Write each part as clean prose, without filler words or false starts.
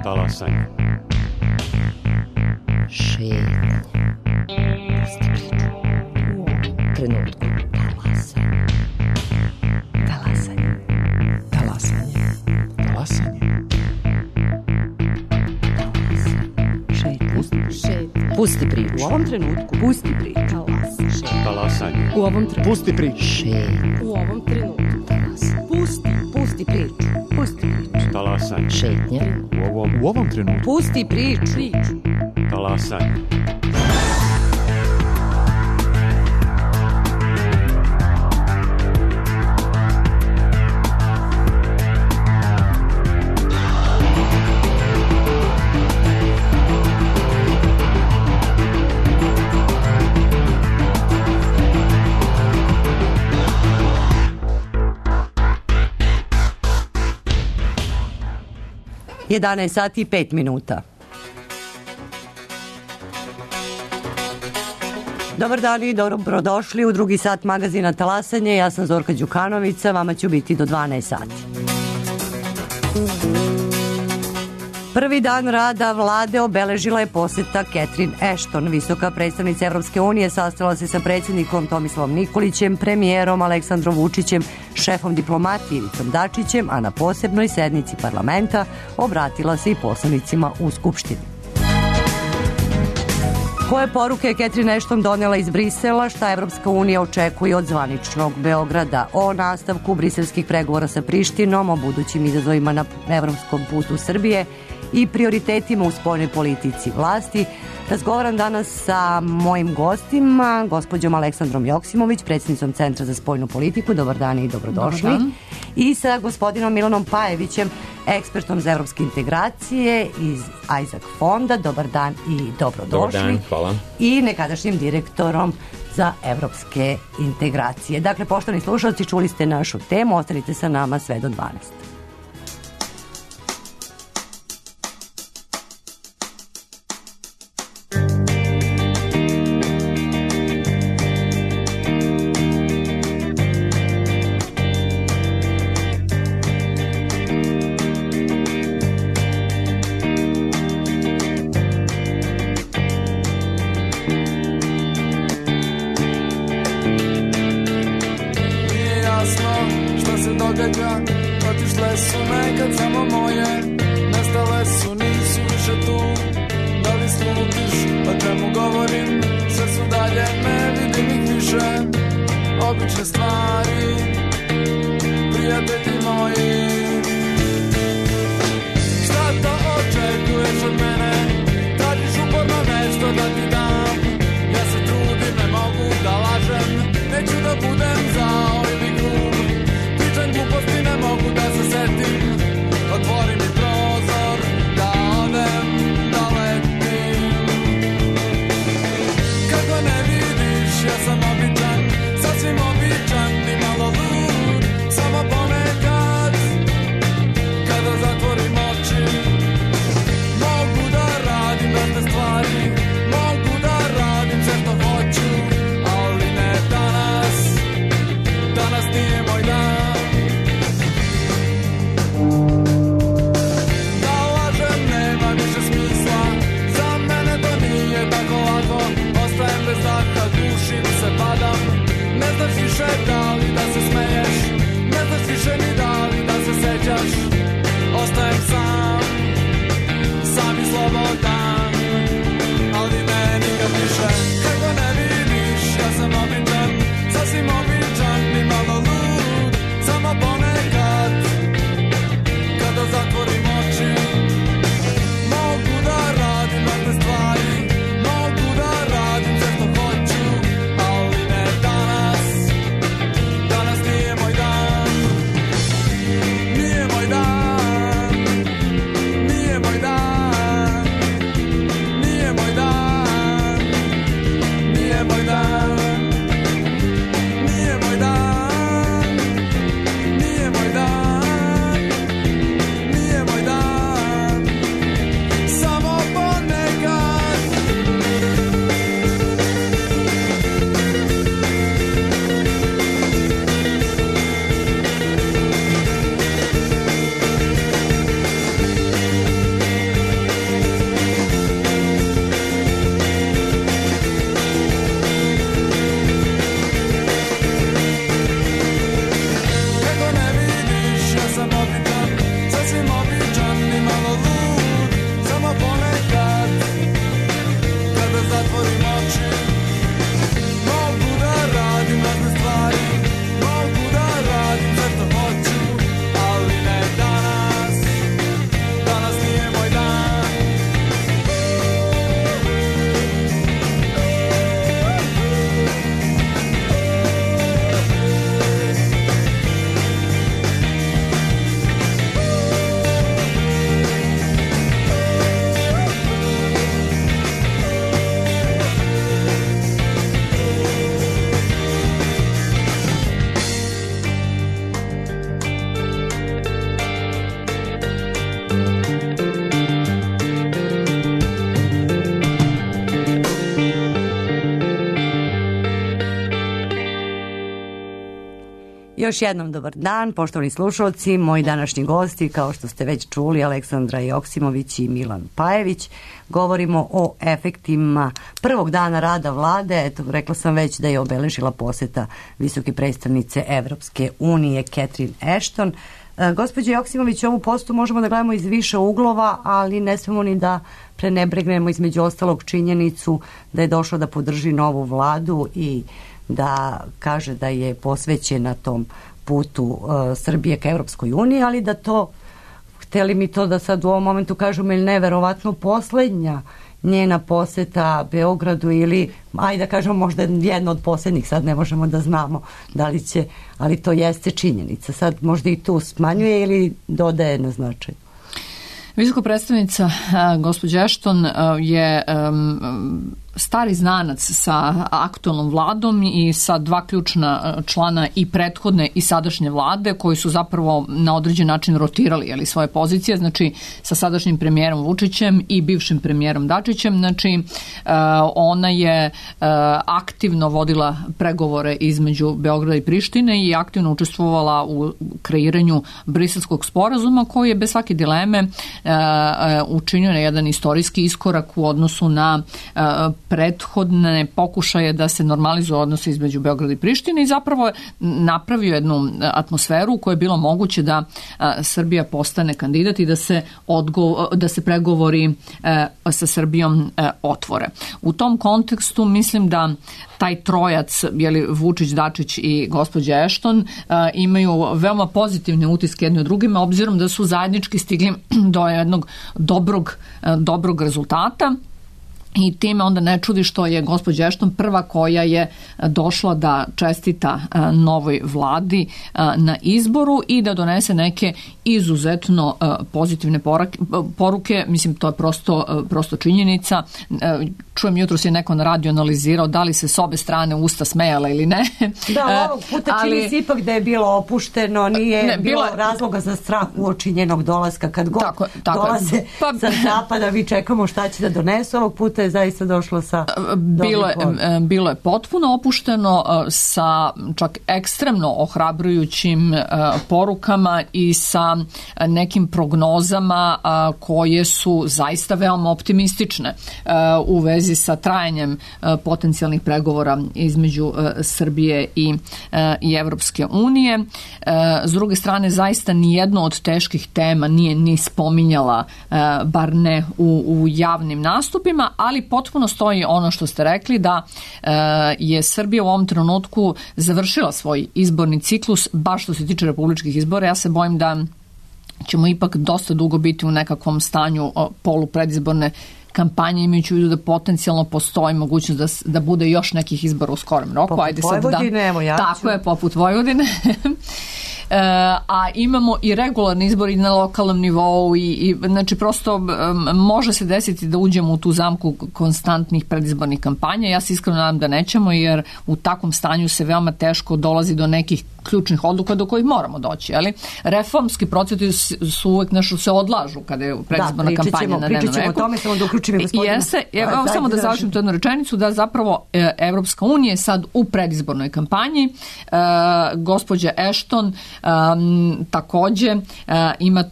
Talasanje. Šetnje. Pusti priču. U ovom trenutku. Talasanje. Talasanje. Talasanje. Talasanje. Pusti priču. U ovom trenutku. Pusti priču. Talasanje. U ovom trenutku. Pusti priču. U ovom trenutku. Pusti priču. Pusti priču. Talasanje. Šetnje. U ovom trenutku. Pusti priču. Talasanje. Je 11 sati i 5 minuta. Dobar dan i dobrodošli u drugi sat magazina Talasanje. Ja sam Zorka Đukanovića, vama ću biti do 12 sati. Prvi dan rada vlade obeležila je poseta Catherine Ashton. Visoka predstavnica Evropske unije sastala se sa predsjednikom Tomislavom Nikolićem, premijerom Aleksandrom Vučićem, šefom diplomatije Ivicom Dačićem, a na posebnoj sednici parlamenta obratila se i poslanicima u Skupštini. Koje poruke je Catherine Ashton donela iz Brisela, šta Evropska unija očekuje od zvaničnog Beograda, o nastavku briselskih pregovora sa Prištinom, o budućim izazovima na evropskom putu Srbije i prioritetima u spoljnoj politici vlasti. Razgovaram danas sa mojim gostima, gospođom Aleksandrom Joksimović, predsjednicom Centra za spoljnu politiku. Dobar dan i dobrodošli. Dobar dan. I sa gospodinom Milanom Pajevićem, ekspertom za evropske integracije iz Isaac fonda. Dobar dan i dobrodošli. Dobar dan, hvala. I nekadašnjim direktorom za evropske integracije. Dakle, poštovani slušalci, čuli ste našu temu, ostanite sa nama sve do 12. Otišle su nekad samo moje, nestale su, nisu više tu. Da li slutiš o čemu govorim? Sve su dalje, ne vidim ih više. Obične stvari, prijatelji moji. Šta to očekuješ od mene? Tražiš uporno nešto da ti dam. Ja se trudim, ne mogu da lažem. Neću da budem zao ili grub. Pričam gluposti, ne mogu da se setim. Otvori mi prozor, da odem, da letim. Kako ne vidiš, ja sam običan, sasvim običan. Još jednom dobar dan, poštovani slušalci, moji današnji gosti, kao što ste već čuli, Aleksandra Joksimović i Milan Pajević. Govorimo o efektima prvog dana rada vlade. Eto, rekla sam već da je obeležila poseta visoke predstavnice Evropske unije Catherine Ashton. Gospođo Joksimović, ovu posetu možemo da gledamo iz više uglova, ali ne smemo ni da prenebregnemo između ostalog činjenicu da je došla da podrži novu vladu i da kaže da je posvećena tom putu Srbije ka Evropskoj uniji, ali da to, hteli mi to da sad u ovom momentu kažemo, ili neverovatno poslednja njena poseta Beogradu ili, ajde da kažemo, možda jedna od posljednjih, sad ne možemo da znamo da li će, ali to jeste činjenica. Sad možda i tu smanjuje ili dodaje na značaj. Visoka predstavnica gospođa Ashton je stari znanac sa aktualnom vladom i sa dva ključna člana i prethodne i sadašnje vlade koji su zapravo na određen način rotirali svoje pozicije, znači sa sadašnjim premijerom Vučićem i bivšim premijerom Dačićem. Znači ona je aktivno vodila pregovore između Beograda i Prištine i aktivno učestvovala u kreiranju Briselskog sporazuma koji je bez svake dileme učinio na jedan istorijski iskorak u odnosu na prethodne pokušaje da se normalizuju odnose između Beograda i Prištine i zapravo je napravio jednu atmosferu u kojoj je bilo moguće da Srbija postane kandidat i da se pregovori sa Srbijom otvore. U tom kontekstu mislim da taj trojac, Vučić, Dačić i gospođa Ashton, imaju veoma pozitivne utiske jedni od drugima, obzirom da su zajednički stigli do jednog dobrog rezultata. I time onda ne čudi što je gospođa Ashton prva koja je došla da čestita novoj vladi na izboru i da donese neke izuzetno pozitivne poruke. Mislim, to je prosto činjenica. Čujem, jutros je neko na radiju analizirao da li se s obe strane usta smejala ili ne. Da, ovog puta čini se ipak da je bilo opušteno, nije bilo razloga za strah uoči njenog dolaska. Kad god dolaze sa zapada, mi čekamo šta će da donesu. Ovog puta je zaista došlo sa bilo je potpuno opušteno sa čak ekstremno ohrabrujućim porukama i sa nekim prognozama koje su zaista veoma optimistične u vezi sa trajanjem potencijalnih pregovora između Srbije i Evropske unije. S druge strane, zaista nijedno od teških tema nije ni spominjala, bar ne u javnim nastupima, ali potpuno stoji ono što ste rekli, da je Srbija u ovom trenutku završila svoj izborni ciklus, baš što se tiče republičkih izbora. Ja se bojim da ćemo ipak dosta dugo biti u nekakvom stanju polupredizborne kampanje, imajući u vidu da potencijalno postoji mogućnost da bude još nekih izbora u skorem roku. Poput Vojvodine, evo ja ću. Tako je, poput Vojvodine. A imamo i regularni izbori na lokalnom nivou i znači prosto može se desiti da uđemo u tu zamku konstantnih predizbornih kampanja. Ja se iskreno nadam da nećemo, jer u takvom stanju se veoma teško dolazi do nekih ključnih odluka do kojih moramo doći. Ali reformski procesi su uvek nešto se odlažu kada je predizborna kampanja na dnevnom redu. Pričat ćemo o tome, samo da uključim i gospodina. Evo samo da završim tu jednu rečenicu, da zapravo Evropska unija je sad u predizbornoj kampanji. Gospođa Ashton takođe ima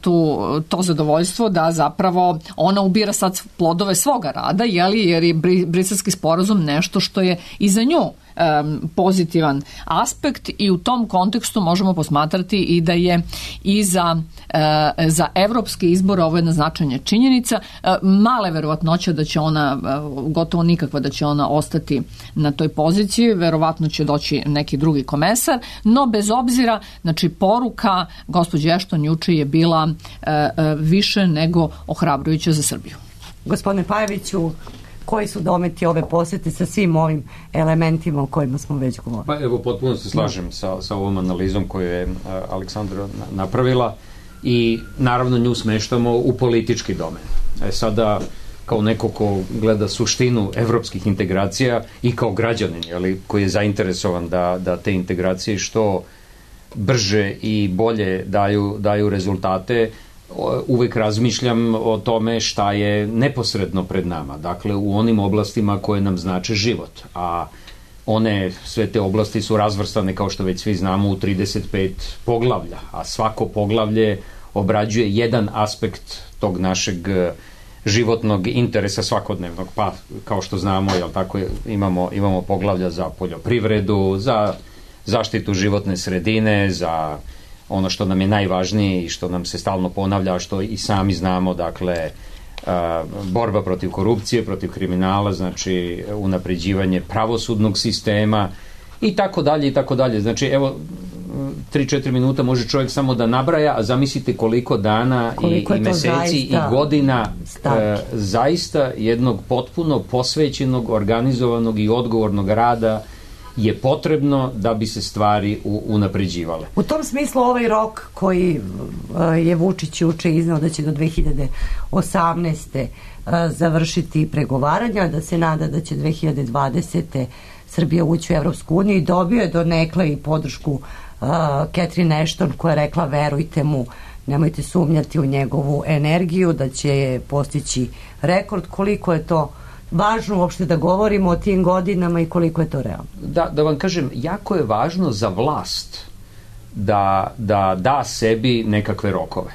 to zadovoljstvo da zapravo ona ubira sad plodove svoga rada, jer je Briselski sporazum nešto što je i za nju pozitivan aspekt i u tom kontekstu možemo posmatrati i da je i za evropske izbore ovo jedna značajna činjenica. Male verovatnoća da će ona, gotovo nikakva da će ona ostati na toj poziciji, verovatno će doći neki drugi komesar, no bez obzira, znači poruka gospođe Ashton juče je bila više nego ohrabrujuća za Srbiju. Gospodine Pajeviću, koji su dometi ove posete sa svim ovim elementima o kojima smo već govorili? Pa evo, potpuno se slažem sa ovom analizom koju je Aleksandra napravila i naravno nju smeštamo u politički domen. Sada, kao neko ko gleda suštinu evropskih integracija i kao građanin, koji je zainteresovan da te integracije što brže i bolje daju rezultate, uvek razmišljam o tome šta je neposredno pred nama, dakle u onim oblastima koje nam znače život, a sve te oblasti su razvrstane, kao što već svi znamo, u 35 poglavlja, a svako poglavlje obrađuje jedan aspekt tog našeg životnog interesa svakodnevnog, pa kao što znamo, jel tako, imamo poglavlja za poljoprivredu, za zaštitu životne sredine, za ono što nam je najvažnije i što nam se stalno ponavlja, što i sami znamo, dakle, borba protiv korupcije, protiv kriminala, znači unapređivanje pravosudnog sistema i tako dalje i tako dalje. Znači, evo, 3-4 minuta može čovjek samo da nabraja, a zamislite koliko dana i meseci i godina zaista jednog potpuno posvećenog, organizovanog i odgovornog rada je potrebno da bi se stvari unapređivale. U tom smislu ovaj rok koji je Vučić juče iznao da će do 2018. završiti pregovaranja, da se nada da će 2020. Srbija ući u Evropsku uniju i dobio je donekle i podršku Catherine Ashton, koja je rekla verujte mu, nemojte sumnjati u njegovu energiju, da će postići rekord. Koliko je to važno uopšte da govorimo o tim godinama i koliko je to realno? Da vam kažem, jako je važno za vlast da da sebi nekakve rokove.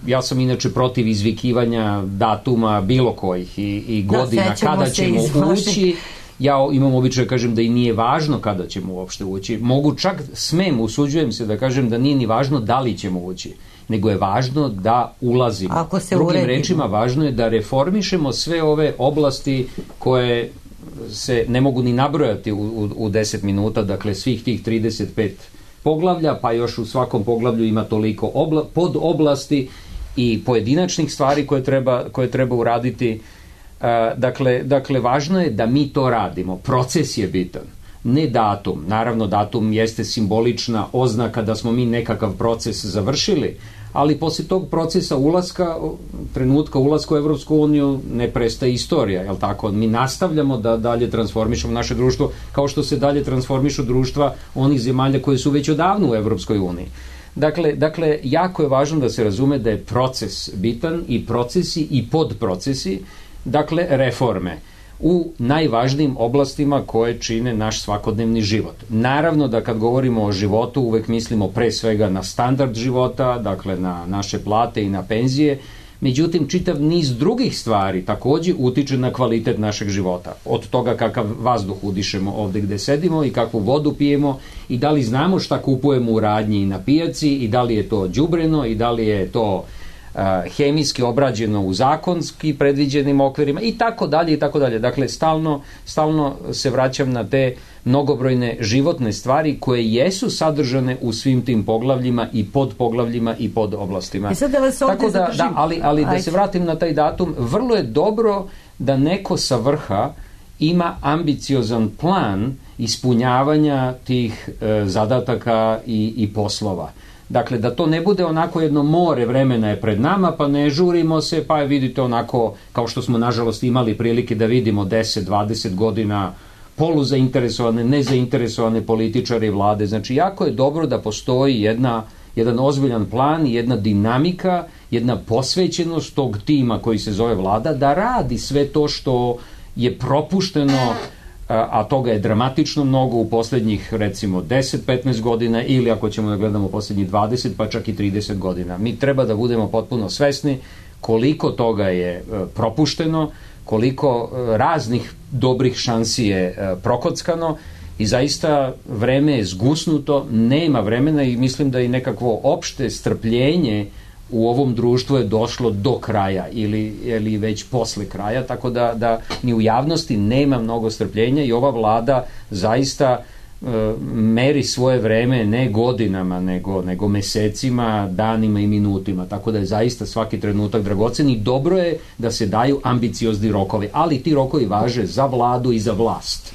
Ja sam inače protiv izvikivanja datuma bilo kojih i godina kada ćemo ući. Ja imam običaj da kažem da i nije važno kada ćemo uopšte ući. Usuđujem se da kažem da nije ni važno da li ćemo ući, nego je važno da ulazimo. Drugim rečima, važno je da reformišemo sve ove oblasti koje se ne mogu ni nabrojati u 10 minuta, dakle svih tih 35 poglavlja, pa još u svakom poglavlju ima toliko podoblasti i pojedinačnih stvari koje treba uraditi. Dakle, važno je da mi to radimo. Proces je bitan, ne datum. Naravno, datum jeste simbolična oznaka da smo mi nekakav proces završili, ali posle tog procesa trenutka ulaska u Evropsku uniju ne prestaje istorija, jel tako? Mi nastavljamo da dalje transformišemo naše društvo, kao što se dalje transformišu društva onih zemalja koje su već odavno u Evropskoj uniji. Dakle, jako je važno da se razume da je proces bitan i procesi i podprocesi, dakle, reforme u najvažnijim oblastima koje čine naš svakodnevni život. Naravno da kad govorimo o životu uvek mislimo pre svega na standard života, dakle na naše plate i na penzije, međutim čitav niz drugih stvari takođe utiče na kvalitet našeg života. Od toga kakav vazduh udišemo ovde gde sedimo i kakvu vodu pijemo i da li znamo šta kupujemo u radnji i na pijaci i da li je to đubreno i da li je to hemijski obrađeno u zakonski predviđenim okvirima i tako dalje i tako dalje. Dakle, stalno se vraćam na te mnogobrojne životne stvari koje jesu sadržane u svim tim poglavljima i podpoglavljima i podoblastima. I sad da vas ovdje zadržim. Ali da se vratim na taj datum, vrlo je dobro da neko sa vrha ima ambiciozan plan ispunjavanja tih zadataka i poslova. Dakle, da to ne bude onako jedno more vremena je pred nama, pa ne žurimo se, pa vidite onako, kao što smo nažalost imali prilike da vidimo 10-20 godina poluzainteresovane, nezainteresovane političare i vlade. Znači, jako je dobro da postoji jedan ozbiljan plan, jedna dinamika, jedna posvećenost tog tima koji se zove vlada, da radi sve to što je propušteno, a toga je dramatično mnogo u poslednjih, recimo, 10-15 godina ili ako ćemo da gledamo poslednjih 20, pa čak i 30 godina. Mi treba da budemo potpuno svesni koliko toga je propušteno, koliko raznih dobrih šansi je prokockano i zaista vreme je zgusnuto, nema vremena i mislim da i nekakvo opšte strpljenje u ovom društvu je došlo do kraja ili već posle kraja, tako da ni u javnosti nema mnogo strpljenja i ova vlada zaista meri svoje vreme ne godinama, nego mesecima, danima i minutima, tako da je zaista svaki trenutak dragocen i dobro je da se daju ambiciozni rokovi, ali ti rokovi važe za vladu i za vlast.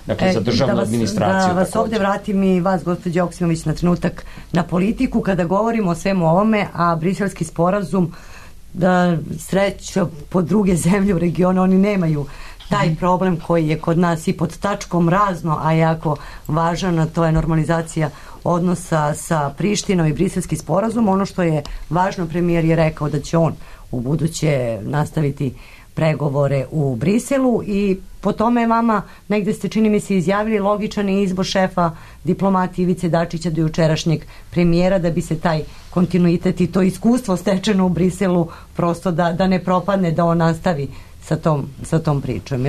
Dakle, za državnu administraciju. Da vas ovdje vratim i vas, gospođo Joksimović, na trenutak na politiku, kada govorimo o svemu ovome, a briselski sporazum, da sreća po druge zemlje u regionu, oni nemaju taj problem koji je kod nas i pod tačkom razno, a jako važan, a to je normalizacija odnosa sa Prištinom i briselski sporazum. Ono što je važno, premijer je rekao da će on u buduće nastaviti pregovore u Briselu i po tome vama negde ste, čini mi se, izjavili logičan je izbor šefa diplomatije Ivice Dačića do jučerašnjeg premijera da bi se taj kontinuitet i to iskustvo stečeno u Briselu prosto da ne propadne, da on nastavi sa tom pričom.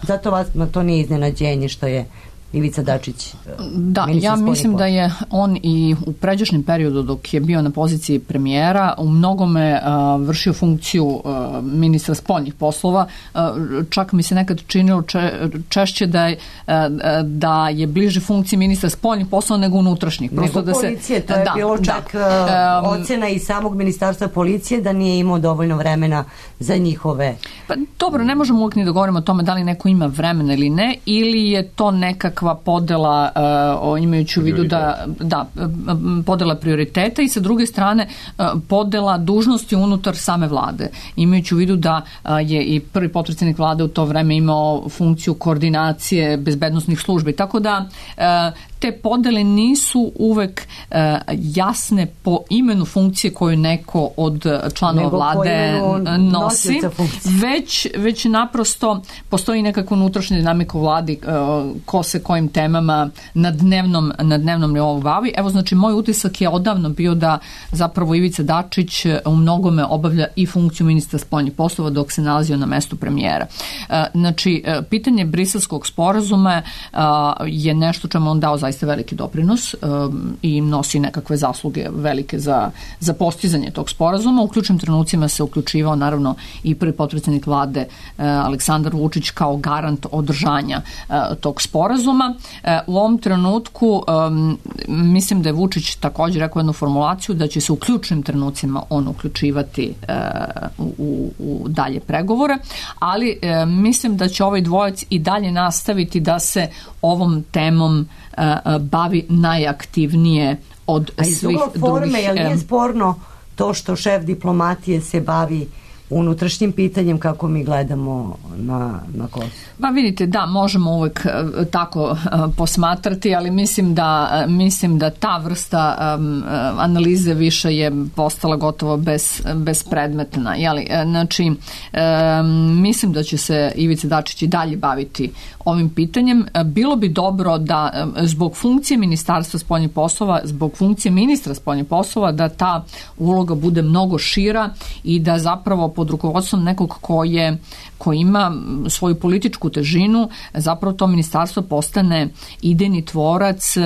Zato vas to nije iznenađenje što je Ivica Dačić. Da, ja mislim da je on i u pređašnjem periodu dok je bio na poziciji premijera u mnogome vršio funkciju ministra spoljnih poslova. Čak mi se nekad činilo češće da je bliže funkciji ministra spoljnih poslova nego unutrašnjih. Nego policije, to je bilo čak ocena i samog ministarstva policije da nije imao dovoljno vremena za njihove... Pa dobro, ne možemo uvijek ni da govorimo o tome da li neko ima vremena ili ne, ili je to nekakva podela imajući u vidu da podela prioriteta i sa druge strane podela dužnosti unutar same vlade, imajući u vidu da je i prvi potpredsjednik vlade u to vreme imao funkciju koordinacije bezbednosnih službi, tako da te podele nisu uvek jasne po imenu funkcije koju neko od članova vlade nosi, već naprosto postoji nekakva unutrašnja dinamika u vladi ko se kojim temama na dnevnom nivou bavi. Evo, znači, moj utisak je odavno bio da zapravo Ivica Dačić u mnogome obavlja i funkciju ministra spoljnih poslova dok se nalazio na mestu premijera. Znači, pitanje briselskog sporazuma je nešto čemu on dao zaista veliki doprinos i nosi nekakve zasluge velike za postizanje tog sporazuma. U ključnim trenucima se uključivao naravno i prvi potpredsjednik vlade Aleksandar Vučić kao garant održanja tog sporazuma. U ovom trenutku mislim da je Vučić također rekao jednu formulaciju da će se u ključnim trenucima on uključivati u dalje pregovore, ali mislim da će ovaj dvojac i dalje nastaviti da se ovom temom bavi najaktivnije od svih drugih. A iz ugla forme, jel nije sporno to što šef diplomatije se bavi unutrašnjim pitanjem kako mi gledamo na Kosovo? Pa vidite, da, možemo uvek tako posmatrati, ali mislim da ta vrsta analize više je postala gotovo bespredmetna. Znači, mislim da će se Ivica Dačić i dalje baviti ovim pitanjem. Bilo bi dobro da zbog funkcije Ministarstva spoljnih poslova, zbog funkcije ministra spoljnih poslova, da ta uloga bude mnogo šira i da zapravo pod rukovodstvom nekog ko ima svoju političku težinu, zapravo to ministarstvo postane idejni tvorac,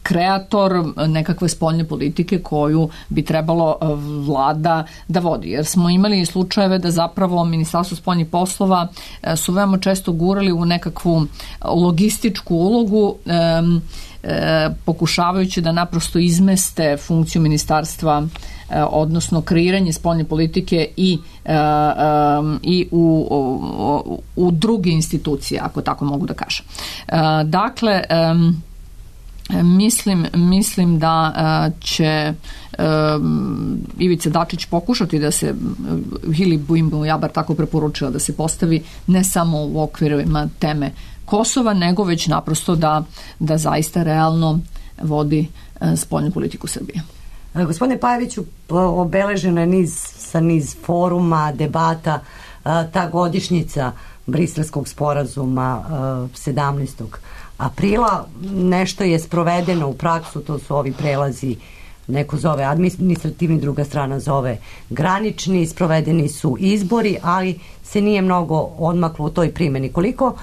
kreator nekakve spoljne politike koju bi trebalo vlada da vodi. Jer smo imali slučajeve da zapravo Ministarstvo spoljnih poslova su veoma često gurali u nekakvu logističku ulogu, pokušavajući da naprosto izmeste funkciju ministarstva, odnosno kreiranje spoljne politike i u druge institucije, ako tako mogu da kažem. Dakle, mislim da će Ivica Dačić pokušati da se, ili Buimbo Jabar tako preporučila, da se postavi ne samo u okvirima teme Kosova, nego već naprosto da zaista realno vodi spoljnu politiku Srbije. Gospodine Pajeviću, obeležena je niz foruma, debata, ta godišnjica Briselskog sporazuma 17. aprila. Nešto je sprovedeno u praksu, to su ovi prelazi, neko zove administrativni, druga strana zove granični, sprovedeni su izbori, ali se nije mnogo odmaklo u toj primjeni. Koliko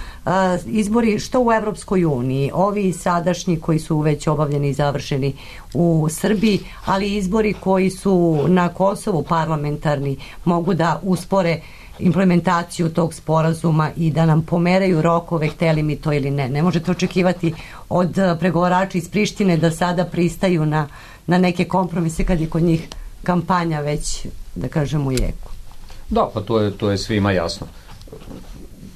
izbori što u Evropskoj uniji, ovi sadašnji koji su već obavljeni i završeni u Srbiji, ali izbori koji su na Kosovu parlamentarni mogu da uspore implementaciju tog sporazuma i da nam pomeraju rokove, hteli mi to ili ne. Ne možete očekivati od pregovarača iz Prištine da sada pristaju na neke kompromise kad je kod njih kampanja već, da kažem, u jeku. Da, pa to je svima jasno.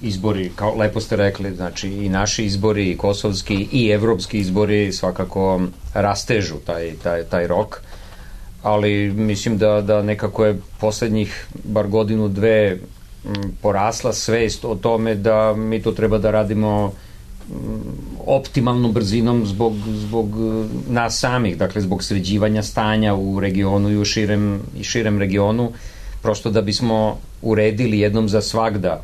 Izbori, kao lepo ste rekli, znači i naši izbori, i kosovski, i evropski izbori svakako rastežu taj rok, ali mislim da nekako je poslednjih bar godinu, dve porasla svest o tome da mi to treba da radimo optimalnom brzinom zbog nas samih, dakle zbog sređivanja stanja u regionu i u širem regionu, prosto da bismo uredili jednom za svagda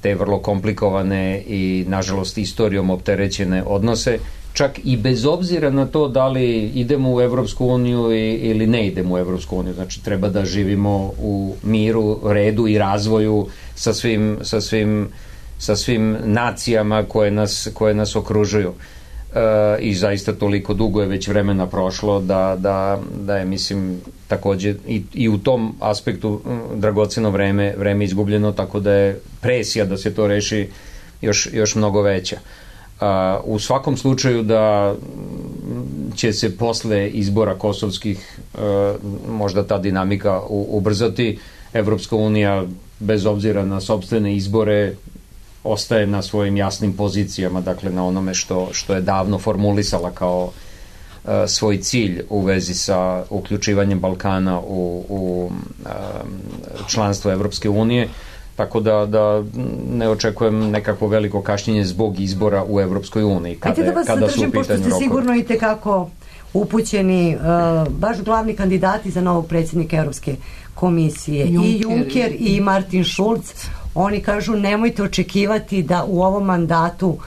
te vrlo komplikovane i nažalost istorijom opterećene odnose, čak i bez obzira na to da li idemo u Evropsku uniju ili ne idemo u Evropsku uniju. Znači, treba da živimo u miru, redu i razvoju sa svim nacijama koje nas okružuju. I zaista toliko dugo je već vremena prošlo da je, mislim, takođe i u tom aspektu dragoceno vreme izgubljeno, tako da je presija da se to reši još mnogo veća. U svakom slučaju da će se posle izbora kosovskih možda ta dinamika ubrzati. Evropska unija, bez obzira na sopstvene izbore, ostaje na svojim jasnim pozicijama, dakle na onome što je davno formulisala kao svoj cilj u vezi sa uključivanjem Balkana u članstvo Evropske unije, tako da ne očekujem nekako veliko kašnjenje zbog izbora u Evropskoj uniji. Kada su u pitanju rokovi. Pošto ste sigurno i tekako upućeni, baš glavni kandidati za novog predsjednika Evropske komisije, i Juncker i Martin Schulz, oni kažu nemojte očekivati da u ovom mandatu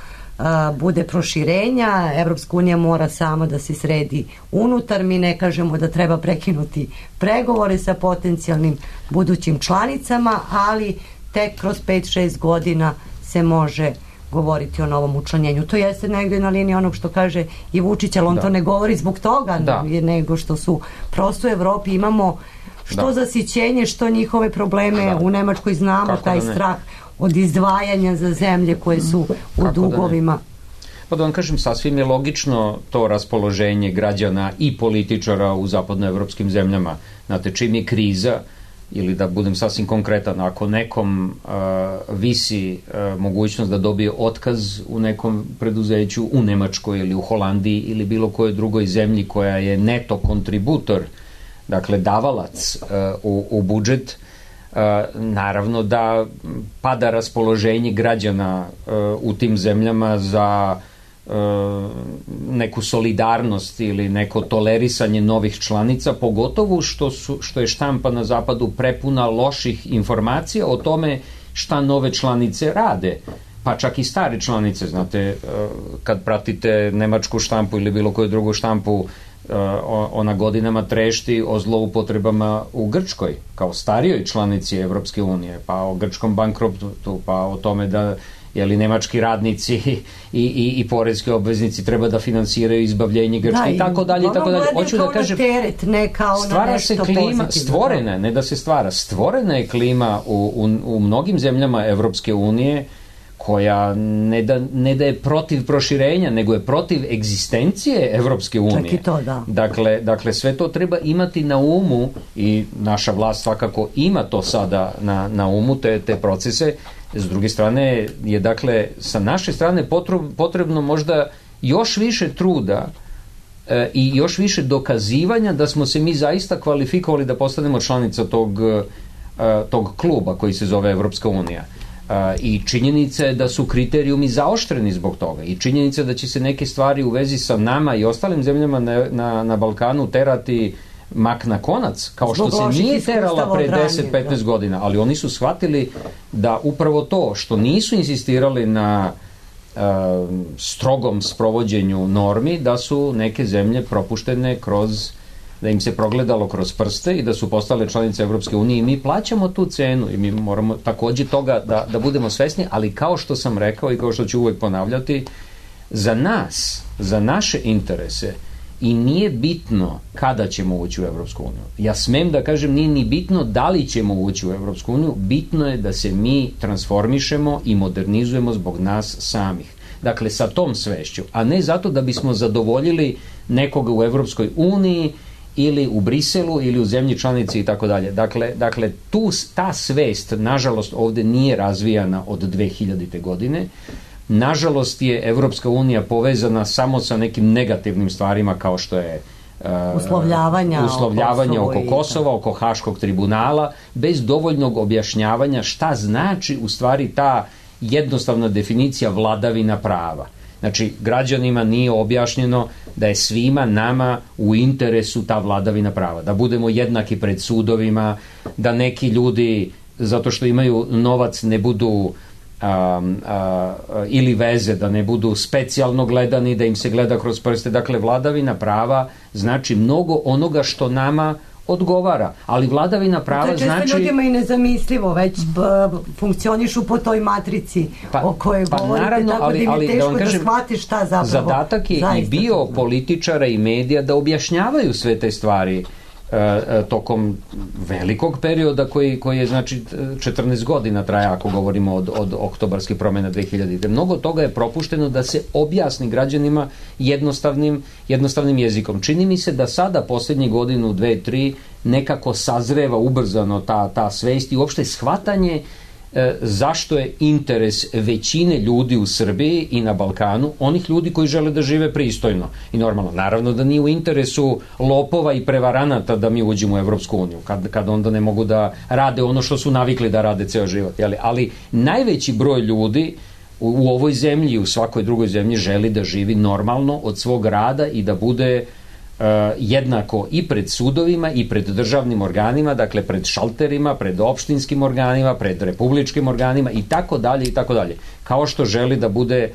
bude proširenja, Evropska unija mora sama da se sredi unutar, mi ne kažemo da treba prekinuti pregovore sa potencijalnim budućim članicama, ali tek kroz 5-6 godina se može govoriti o novom učlanjenju. To jeste negdje na liniji onog što kaže i Vučić, ali on to ne govori zbog toga, nego što su prosto u Evropi imamo što zasićenje, što njihove probleme. U Nemačkoj znamo taj strah od izdvajanja za zemlje koje su u dugovima. Pa da vam kažem, sasvim je logično to raspoloženje građana i političara u zapadnoevropskim zemljama. Znate, čim je kriza, ili da budem sasvim konkretan, ako nekom visi mogućnost da dobije otkaz u nekom preduzeću u Nemačkoj ili u Holandiji ili bilo kojoj drugoj zemlji koja je neto kontributor, dakle davalac u budžet, naravno da pada raspoloženje građana u tim zemljama za neku solidarnost ili neko tolerisanje novih članica, pogotovo što je štampa na zapadu prepuna loših informacija o tome šta nove članice rade, pa čak i stare članice. Znate, kad pratite nemačku štampu ili bilo koju drugu štampu, ona godinama trešti o zloupotrebama u Grčkoj, kao starijoj članici Evropske unije, pa o grčkom bankrotu, pa o tome da nemački radnici i poreski obveznici treba da finansiraju izbavljenje Grčke i tako dalje. Hoću da kažem, teret, ne kao na nešto pozitivno. Stvorena, ne da se stvara, stvorena je klima u mnogim zemljama Evropske unije koja ne da je protiv proširenja, nego je protiv egzistencije Evropske unije. Čak i to, da. Dakle, sve to treba imati na umu i naša vlast svakako ima to sada na umu, te procese. S druge strane je, dakle, sa naše strane potrebno možda još više truda i još više dokazivanja da smo se mi zaista kvalifikovali da postanemo članica tog kluba koji se zove Evropska unija. I činjenica je da su kriterijumi zaoštreni zbog toga i činjenica da će se neke stvari u vezi sa nama i ostalim zemljama na Balkanu terati mak na konac, kao što se nije terala pre 10-15 godina, ali oni su shvatili da upravo to što nisu insistirali na strogom sprovođenju normi, da su neke zemlje propuštene da im se progledalo kroz prste i da su postale članice Evropske unije i mi plaćamo tu cenu i mi moramo takođe toga da budemo svesni, ali kao što sam rekao i kao što ću uvek ponavljati, za nas, za naše interese i nije bitno kada ćemo ući u Evropsku uniju. Ja smem da kažem, nije ni bitno da li ćemo ući u Evropsku uniju, bitno je da se mi transformišemo i modernizujemo zbog nas samih. Dakle, sa tom svešću, a ne zato da bismo zadovoljili nekoga u Evropskoj uniji ili u Briselu ili u zemlji članici i tako dalje. Dakle, ta svest, nažalost, ovde nije razvijana od 2000. godine. Nažalost je Evropska unija povezana samo sa nekim negativnim stvarima kao što je uslovljavanja oko Kosova, oko Haškog tribunala, bez dovoljnog objašnjavanja šta znači u stvari ta jednostavna definicija vladavina prava. Znači, građanima nije objašnjeno da je svima nama u interesu ta vladavina prava, da budemo jednaki pred sudovima, da neki ljudi, zato što imaju novac, ne budu ili veze, da ne budu specijalno gledani, da im se gleda kroz prste. Dakle, vladavina prava znači mnogo onoga što nama odgovara, ali vladavina prava znači... Često ljudima i nezamislivo, već funkcionišu po toj matrici o kojoj govorite, naravno, tako da im je teško da shvatiš šta zapravo zadatak je i bio političara i medija da objašnjavaju sve te stvari tokom velikog perioda koji je, znači, 14 godina traja, ako govorimo od oktobarskih promjena 2000. Mnogo toga je propušteno da se objasni građanima jednostavnim jezikom. Čini mi se da sada posljednjih godinu, 2, 3 nekako sazreva ubrzano ta svest i uopšte shvatanje zašto je interes većine ljudi u Srbiji i na Balkanu onih ljudi koji žele da žive pristojno i normalno. Naravno da nije u interesu lopova i prevaranata da mi uđemo u Evropsku uniju, kad onda ne mogu da rade ono što su navikli da rade ceo život. Ali najveći broj ljudi u ovoj zemlji i u svakoj drugoj zemlji želi da živi normalno od svog rada i da bude jednako i pred sudovima i pred državnim organima, dakle pred šalterima, pred opštinskim organima, pred republičkim organima i tako dalje i tako dalje. Kao što želi da bude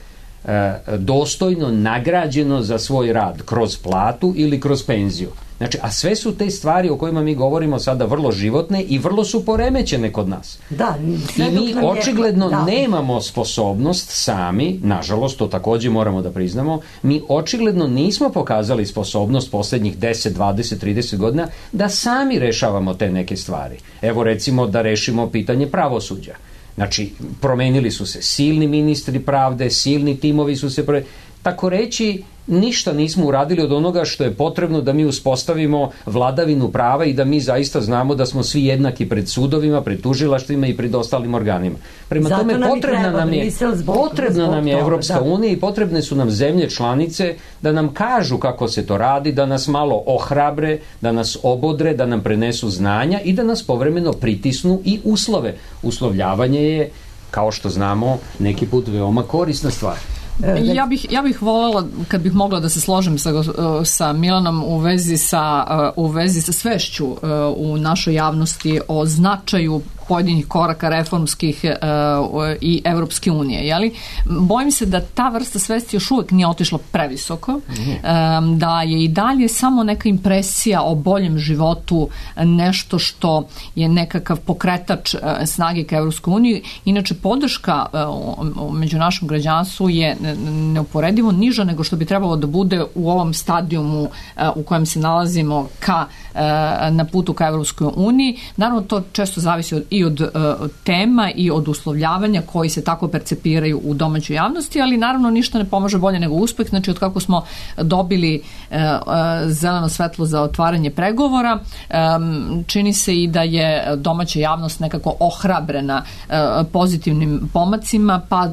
dostojno nagrađeno za svoj rad kroz platu ili kroz penziju. Znači, a sve su te stvari o kojima mi govorimo sada vrlo životne i vrlo su poremećene kod nas. Da, i mi očigledno nemamo sposobnost sami, nažalost, to takođe moramo da priznamo, mi očigledno nismo pokazali sposobnost poslednjih 10, 20, 30 godina da sami rešavamo te neke stvari. Evo, recimo, da rešimo pitanje pravosuđa. Znači, promenili su se silni ministri pravde, silni timovi su se tako reći, ništa nismo uradili od onoga što je potrebno da mi uspostavimo vladavinu prava i da mi zaista znamo da smo svi jednaki pred sudovima, pred tužilaštvima i pred ostalim organima. Prema tome, potrebna nam je Evropska unija i potrebne su nam zemlje članice da nam kažu kako se to radi, da nas malo ohrabre, da nas obodre, da nam prenesu znanja i da nas povremeno pritisnu i uslove. Uslovljavanje je, kao što znamo, neki put veoma korisna stvar. Ja bih voljela, kad bih mogla da se složim sa Milanom u vezi sa svešću u našoj javnosti o značaju pojedinih koraka reformskih i Evropske unije. Jeli? Bojim se da ta vrsta svesti još uvek nije otišla previsoko, da je i dalje samo neka impresija o boljem životu nešto što je nekakav pokretač snage ka Evropskoj uniji. Inače, podrška među našem građanstvu je neuporedivo niža nego što bi trebalo da bude u ovom stadijumu u kojem se nalazimo na putu ka Evropskoj uniji. Naravno, to često zavisi i od tema i od uslovljavanja koji se tako percepiraju u domaćoj javnosti, ali naravno ništa ne pomaže bolje nego uspeh. Znači, od kako smo dobili zeleno svetlo za otvaranje pregovora, čini se i da je domaća javnost nekako ohrabrena pozitivnim pomacima, pa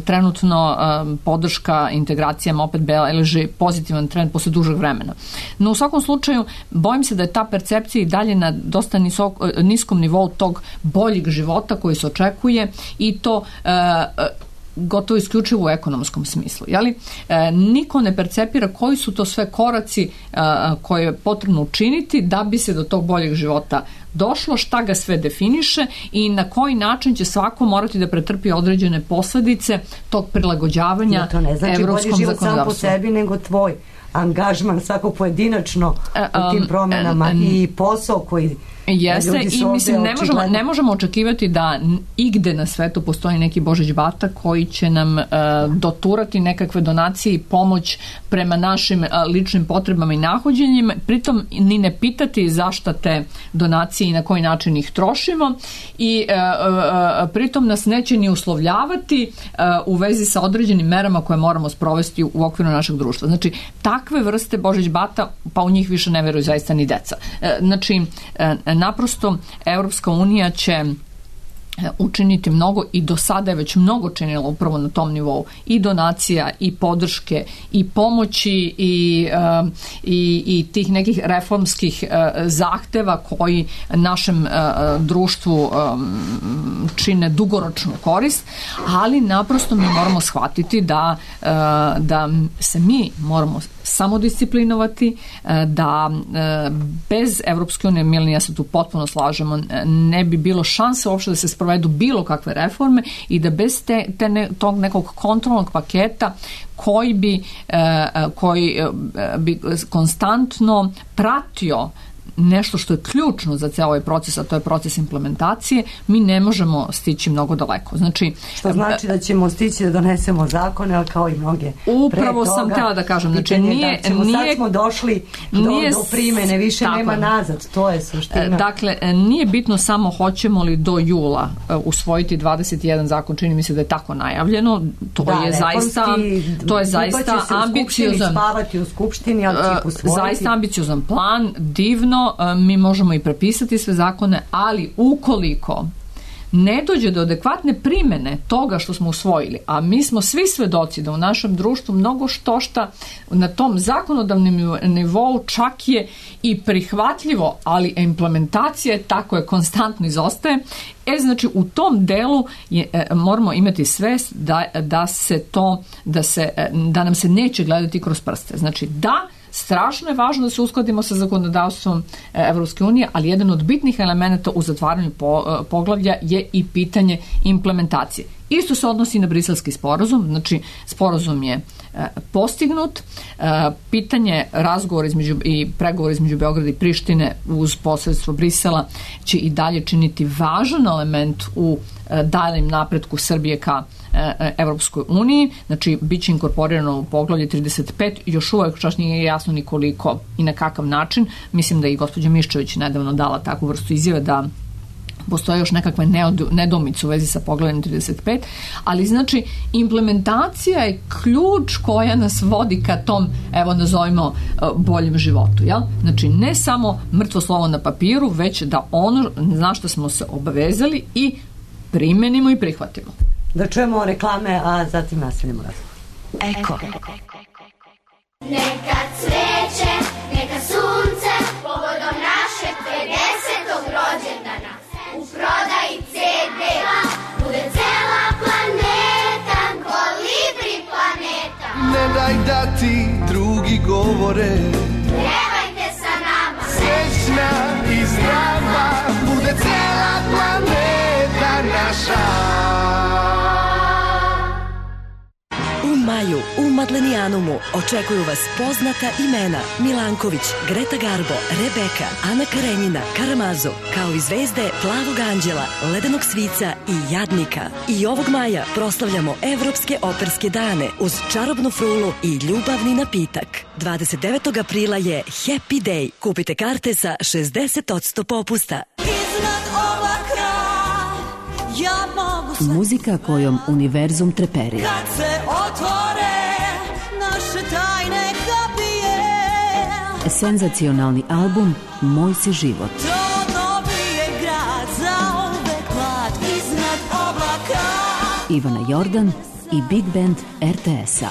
trenutno podrška integracijama opet beleži pozitivan trend posle dužeg vremena. No, u svakom slučaju, bojim se da je ta percepcija i dalje na dosta niskom nivou tog boljeg života koji se očekuje i to gotovo isključivo u ekonomskom smislu. Jeli? Niko ne percepira koji su to sve koraci koje je potrebno učiniti da bi se do tog boljeg života došlo, šta ga sve definiše i na koji način će svako morati da pretrpi određene posledice tog prilagođavanja evropskom zakonodavstvu. To ne znači bolji život sam po sebi, nego tvoj angažman svakog pojedinačno u tim promenama i posao koji jeste i mislim ne možemo očekivati da igde na svetu postoji neki Božić Bata koji će nam doturati nekakve donacije i pomoć prema našim ličnim potrebama i nahođenjima, pritom ni ne pitati zašto te donacije i na koji način ih trošimo i pritom nas neće ni uslovljavati u vezi sa određenim merama koje moramo sprovesti u okviru našeg društva. Znači, takve vrste Božić Bata, pa u njih više ne veruju zaista ni deca. Znači, naprosto Evropska unija će učiniti mnogo i do sada je već mnogo činilo upravo na tom nivou i donacija i podrške i pomoći i tih nekih reformskih zahteva koji našem društvu čine dugoročnu korist, ali naprosto mi moramo shvatiti da se mi moramo samodisciplinovati, da bez Evropske unije, Milena, ja se tu potpuno slažemo, ne bi bilo šanse uopšte da se sprovedu bilo kakve reforme i da bez tog nekog kontrolnog paketa koji bi konstantno pratio nešto što je ključno za cijel ovaj proces, a to je proces implementacije, mi ne možemo stići mnogo daleko. Znači, što znači da ćemo stići da donesemo zakone, ali kao i mnoge upravo sam htjela da kažem, znači sad smo došli do primene, više nema nazad, to je suština. Dakle, nije bitno samo hoćemo li do jula usvojiti 21 zakon, čini mi se da je tako najavljeno, to je zaista ambiciozan, spavati u skupštini, ali će usvojiti. Zaista ambiciozan plan, divno, mi možemo i prepisati sve zakone, ali ukoliko ne dođe do adekvatne primene toga što smo usvojili, a mi smo svi svedoci da u našem društvu mnogo štošta na tom zakonodavnom nivou čak je i prihvatljivo, ali implementacija tako je konstantno izostaje. Znači u tom delu moramo imati svest da nam se neće gledati kroz prste. Znači strašno je važno da se uskladimo sa zakonodavstvom Evropske unije, ali jedan od bitnih elemenata u zatvaranju poglavlja je i pitanje implementacije. Isto se odnosi na Briselski sporazum, znači sporazum je postignut, pitanje razgovora i pregovora između Beograda i Prištine uz posredstvo Brisela će i dalje činiti važan element u daljem napretku Srbije ka Evropskoj uniji, znači bit će inkorporirano u poglavlje 35, još uvek čak nije jasno ni koliko i na kakav način. Mislim da je i gospođa Miščević nedavno dala takvu vrstu izjave da postoje još nekakve nedoumice u vezi sa poglavljem 35, ali znači implementacija je ključ koja nas vodi ka tom, evo nazovimo, boljem životu. Jel? Znači ne samo mrtvo slovo na papiru, već da ono na što smo se obavezali i primenimo i prihvatimo. Da čujemo reklame, a zatim nastavljamo razgovor. Eko. Neka cveće, neka sunce, povodom našeg 50. rođendana. U prodaji CD bude cela planeta, Kolibri planeta. Ne daj da ti drugi govore, Pjevajte sa nama. srećna i zdrava, bude cela planeta naša. U maju u Madlenijanumu očekuju vas poznata imena Milanković, Greta Garbo, Rebeka, Ana Karenjina, Karamazo, kao i zvezde Plavog anđela, Ledenog svica i Jadnika. I ovog maja proslavljamo Evropske operske dane uz čarobnu frulu i ljubavni napitak. 29. aprila je Happy Day. Kupite karte sa 60% popusta. Muzika kojom univerzum treperi. Kad se otvore naše tajne kapije, Senzacionalni album Moj si život. to novi je grad, zauvek mlad iznad oblaka. Ivana Jordan i Big Band RTS-a.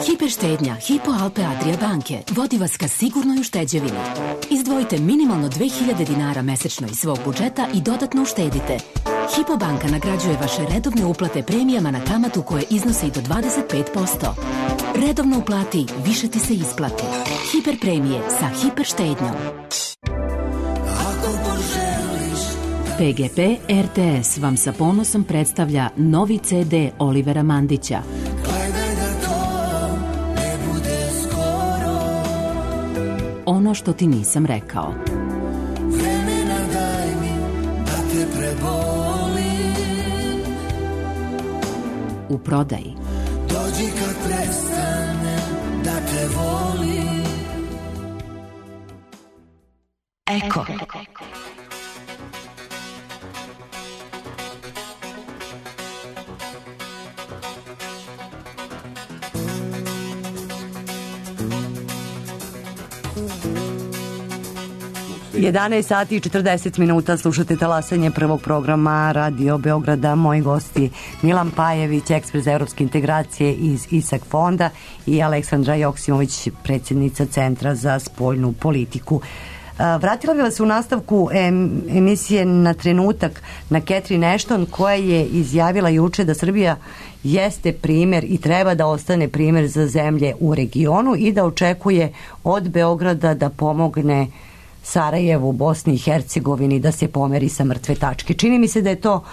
Hiperštednja Hypo Alpe Adria banke vodi vas ka sigurnoj ušteđevini. Izdvojite minimalno 2000 dinara mesečno iz svog budžeta i dodatno uštedite. Hypo banka nagrađuje vaše redovne uplate premijama na kamatu koje iznosi i do 25%. Redovno uplati, više ti se isplati. Hiper premije sa hiper štednjom. PGP RTS vam sa ponosom predstavlja novi CD Olivera Mandića. Ono što ti nisam rekao. Vremena daj mi da te prebolim. U prodaji. Dođi kad prestanem da te volim. Eko. 11 sati i 40 minuta slušate talasanje prvog programa Radio Beograda. Moji gosti Milan Pajević, ekspert za evropske integracije iz ISAK fonda i Aleksandra Joksimović, predsjednica Centra za spoljnu politiku. Vratila bih vas u nastavku emisije na trenutak na Catherine Ashton, koja je izjavila juče da Srbija jeste primjer i treba da ostane primjer za zemlje u regionu i da očekuje od Beograda da pomogne Sarajevu, Bosni i Hercegovini da se pomeri sa mrtve tačke. Čini mi se da je to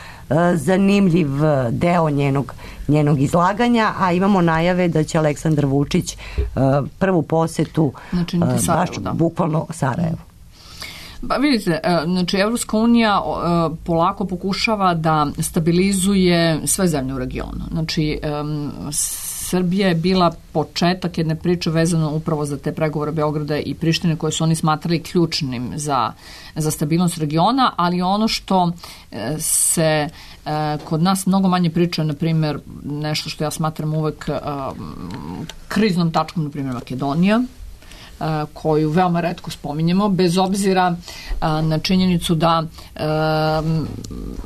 zanimljiv deo njenog izlaganja, a imamo najave da će Aleksandar Vučić prvu posetu baš bukvalno Sarajevu. Pa vidite, znači Evropska unija polako pokušava da stabilizuje sve zemlje u regionu. Znači Srbija je bila početak jedne priče vezano upravo za te pregovore Beograda i Prištine koje su oni smatrali ključnim za stabilnost regiona, ali ono što se kod nas mnogo manje priča, na primjer, nešto što ja smatram uvek kriznom tačkom, na primjer Makedonija, koju veoma retko spominjemo, bez obzira na činjenicu da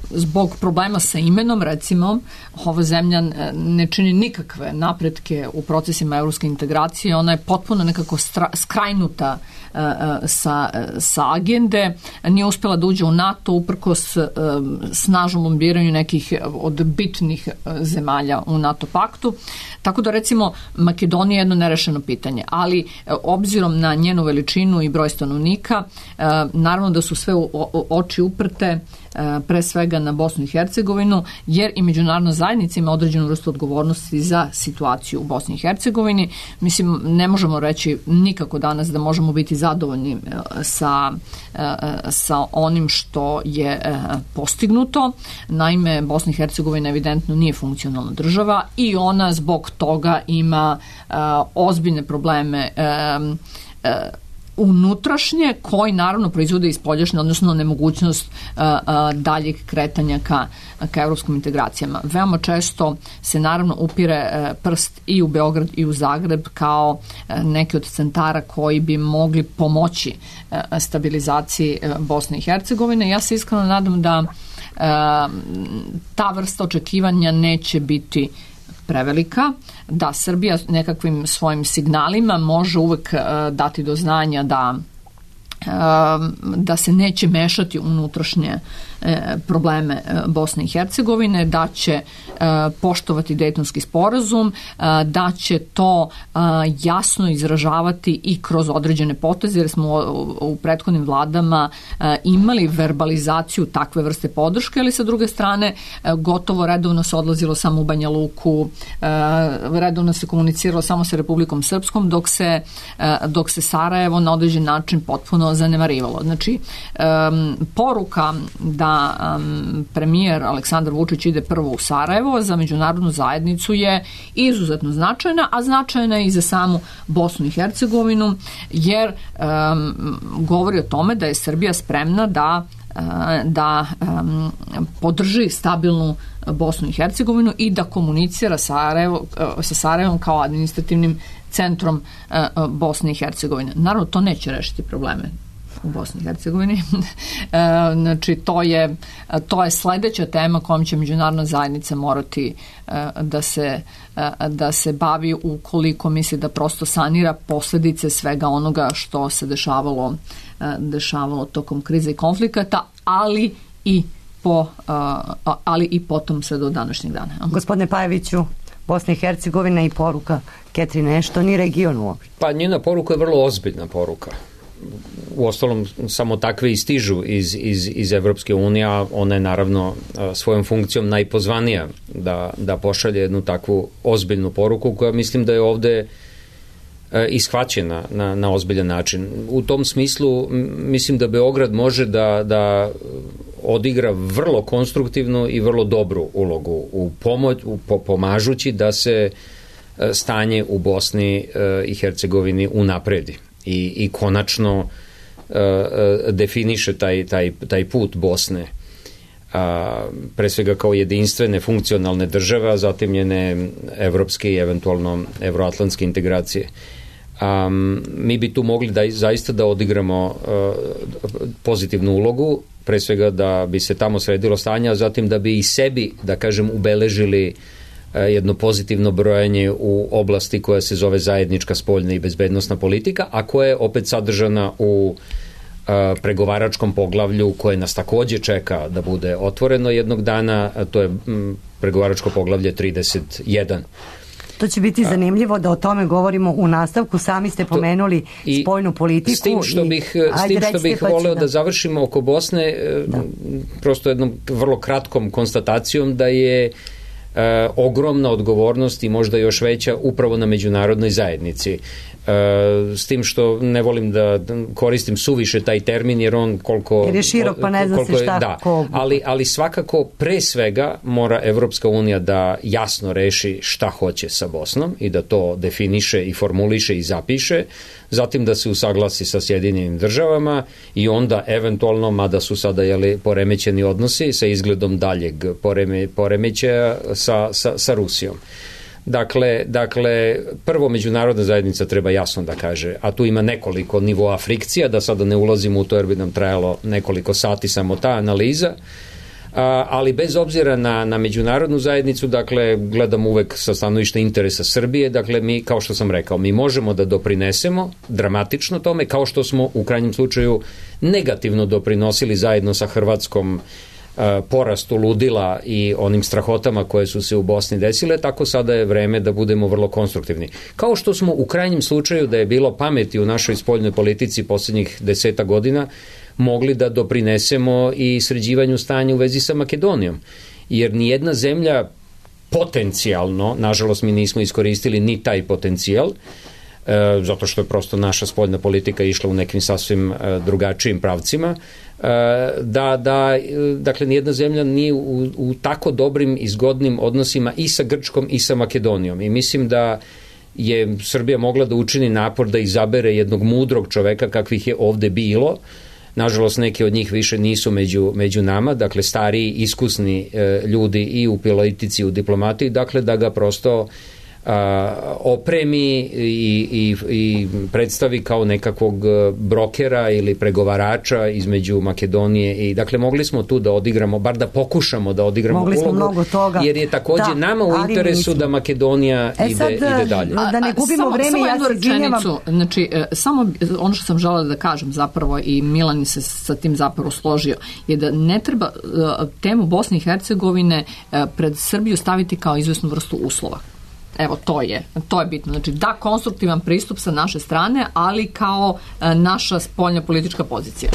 zbog problema sa imenom, recimo, ova zemlja ne čini nikakve napretke u procesima evropske integracije, ona je potpuno nekako skrajnuta sa agende, nije uspjela da uđe u NATO uprkos snažnom lombiranju nekih od bitnih zemalja u NATO paktu, tako da recimo Makedonija je jedno nerešeno pitanje, ali obzirom na njenu veličinu i broj stanovnika, naravno da su sve oči uprte pre svega na Bosnu i Hercegovinu, jer i međunarodna zajednica ima određenu vrstu odgovornosti za situaciju u Bosni i Hercegovini. Mislim, ne možemo reći nikako danas da možemo biti zadovoljni sa onim što je postignuto. Naime, Bosna i Hercegovina evidentno nije funkcionalna država i ona zbog toga ima ozbiljne probleme unutrašnje, koji naravno proizvode i spoljašnje, odnosno nemogućnost daljeg kretanja ka evropskim integracijama. Veoma često se naravno upire prst i u Beograd i u Zagreb kao neki od centara koji bi mogli pomoći stabilizaciji Bosne i Hercegovine. Ja se iskreno nadam da ta vrsta očekivanja neće biti prevelika, da Srbija nekakvim svojim signalima može uvek dati do znanja da se neće mešati u unutrašnje probleme Bosne i Hercegovine, da će poštovati Dejtonski sporazum, da će to jasno izražavati i kroz određene poteze, jer smo u prethodnim vladama imali verbalizaciju takve vrste podrške, ali sa druge strane gotovo redovno se odlazilo samo u Banja Luku, redovno se komuniciralo samo sa Republikom Srpskom, dok se Sarajevo na određen način potpuno zanemarivalo. Znači, poruka da premijer Aleksandar Vučić ide prvo u Sarajevo za međunarodnu zajednicu je izuzetno značajna, a značajna je i za samu Bosnu i Hercegovinu, jer govori o tome da je Srbija spremna da podrži stabilnu Bosnu i Hercegovinu i da komunicira sa Sarajevom kao administrativnim centrom Bosne i Hercegovine. Naravno, to neće rešiti probleme u Bosni i Hercegovini. Znači, to je sledeća tema kojom će međunarodna zajednica morati da se bavi ukoliko misli da prosto sanira posljedice svega onoga što se dešavalo tokom krize i konflikata, ali i potom sve do današnjeg dana. Gospodine Pajeviću, Bosna i Hercegovina i poruka Catherine Ashton i regionu uopšte. Pa njena poruka je vrlo ozbiljna poruka. Uostalom, samo takve i stižu iz Evropske unije, a ona je naravno svojom funkcijom najpozvanija da pošalje jednu takvu ozbiljnu poruku koja mislim da je ovde ishvaćena na ozbiljan način. U tom smislu mislim da Beograd može da odigra vrlo konstruktivnu i vrlo dobru ulogu pomažući da se stanje u Bosni i Hercegovini unapredi i konačno definiše taj put Bosne pre svega kao jedinstvene funkcionalne države, a zatim njene evropske i eventualno evroatlantske integracije. Mi bi tu mogli zaista da odigramo pozitivnu ulogu, pre svega da bi se tamo sredilo stanje, a zatim da bi i sebi, da kažem, ubeležili jedno pozitivno brojanje u oblasti koja se zove zajednička spoljna i bezbednosna politika, a koja je opet sadržana u pregovaračkom poglavlju koje nas takođe čeka da bude otvoreno jednog dana, to je pregovaračko poglavlje 31. To će biti zanimljivo da o tome govorimo u nastavku. Sami ste pomenuli spoljnu politiku. S tim što bih voleo da završimo oko Bosne, prosto jednom vrlo kratkom konstatacijom da je ogromna odgovornost i možda još veća upravo na međunarodnoj zajednici. S tim što ne volim da koristim suviše taj termin jer on koliko... Jer je širok pa ne zna se šta ko... Ali svakako pre svega mora Evropska unija da jasno reši šta hoće sa Bosnom i da to definiše i formuliše i zapiše, zatim da se usaglasi sa Sjedinjenim državama i onda eventualno, mada su sada poremećeni odnosi sa izgledom daljeg poremećaja sa Rusijom. Dakle, prvo međunarodna zajednica treba jasno da kaže, a tu ima nekoliko nivoa frikcija, da sada ne ulazimo u to jer bi nam trajalo nekoliko sati samo ta analiza, ali bez obzira na međunarodnu zajednicu, dakle, gledam uvek sa stanovišta interesa Srbije, dakle, mi, kao što sam rekao, mi možemo da doprinesemo dramatično tome, kao što smo u krajnjem slučaju negativno doprinosili zajedno sa Hrvatskom porastu ludila i onim strahotama koje su se u Bosni desile, tako sada je vreme da budemo vrlo konstruktivni. Kao što smo u krajnjem slučaju, da je bilo pameti u našoj spoljnoj politici poslednjih 10 godina, mogli da doprinesemo i sređivanju stanja u vezi sa Makedonijom. Jer nijedna zemlja potencijalno, nažalost mi nismo iskoristili ni taj potencijal, zato što je prosto naša spoljna politika išla u nekim sasvim drugačijim pravcima, dakle, nijedna zemlja nije u tako dobrim i zgodnim odnosima i sa Grčkom i sa Makedonijom. I mislim da je Srbija mogla da učini napor da izabere jednog mudrog čoveka kakvih je ovde bilo. Nažalost, neki od njih više nisu među nama, dakle, stariji, iskusni ljudi i u politici i u diplomatiji, dakle, da ga prosto opremi i predstavi kao nekakvog brokera ili pregovarača između Makedonije i dakle mogli smo tu da odigramo, bar da pokušamo da odigramo ulogu, jer je takođe nama u interesu da Makedonija ide dalje. Da ne gubimo vreme, ja se izvinjavam. Znači, samo ono što sam želela da kažem zapravo i Milan se sa tim zapravo složio, je da ne treba temu Bosne i Hercegovine pred Srbiju staviti kao izvesnu vrstu uslova. Evo, to je bitno. Znači, da, konstruktivan pristup sa naše strane, ali kao naša spoljna politička pozicija.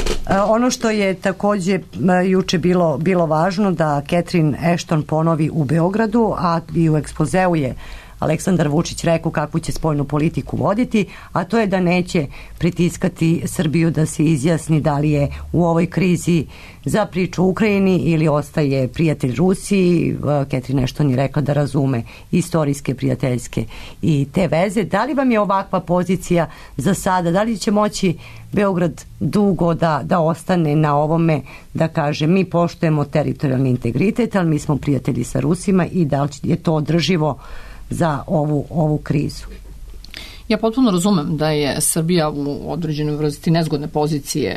Ono što je takođe juče bilo važno da Catherine Ashton ponovi u Beogradu, a i u ekspozeu je Aleksandar Vučić rekao kakvu će spoljnu politiku voditi, a to je da neće pritiskati Srbiju da se izjasni da li je u ovoj krizi za priču u Ukrajini ili ostaje prijatelj Rusiji. Catherine Ashton je rekla da razume istorijske, prijateljske i te veze. Da li vam je ovakva pozicija za sada? Da li će moći Beograd dugo da ostane na ovome, da kaže mi poštujemo teritorijalni integritet, ali mi smo prijatelji sa Rusima i da li je to održivo za ovu krizu? Ja potpuno razumem da je Srbija u određenoj vrsti nezgodne pozicije